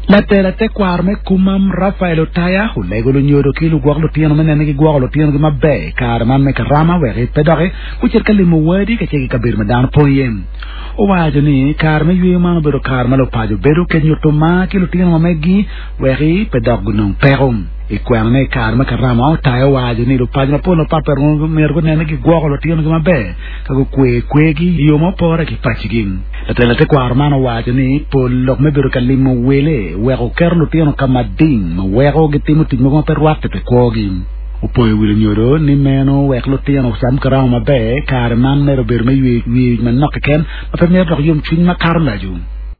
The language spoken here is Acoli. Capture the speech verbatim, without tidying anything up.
Latela tekwaro me Kumam Rafael Otaya olego lunyodo ki lugwok lutino me nene gigwoko lutinogi maber i kare man me karama wek pe doki gucit ka limo wadi kacel ki kabedo ma dano pong iye. Owaco ni kare me yweyo man obedo kare ma lupaco bedo ke nyuto mar ki lutino ma meggi wek pe dok gunong peko. I kwenone i kare me karama Otaya owaco ni lupaco mapol mapatpat myero gunene gigwoko lutinogi maber ka gukwe kwegi i yo ma opore ki pacigi. Latela tekwaro man owaco ni pol lok me bedo ka limo wele weko keto lutino ka mading ma weko gitimo tic mogo ma pe rwatte pi kwogi. Opoyo wi lunyodo ni meno wek lutino ocam karama maber kare man mere obedo me yweyo wic manok keken ma pe myero dok yomcwiny makato laco.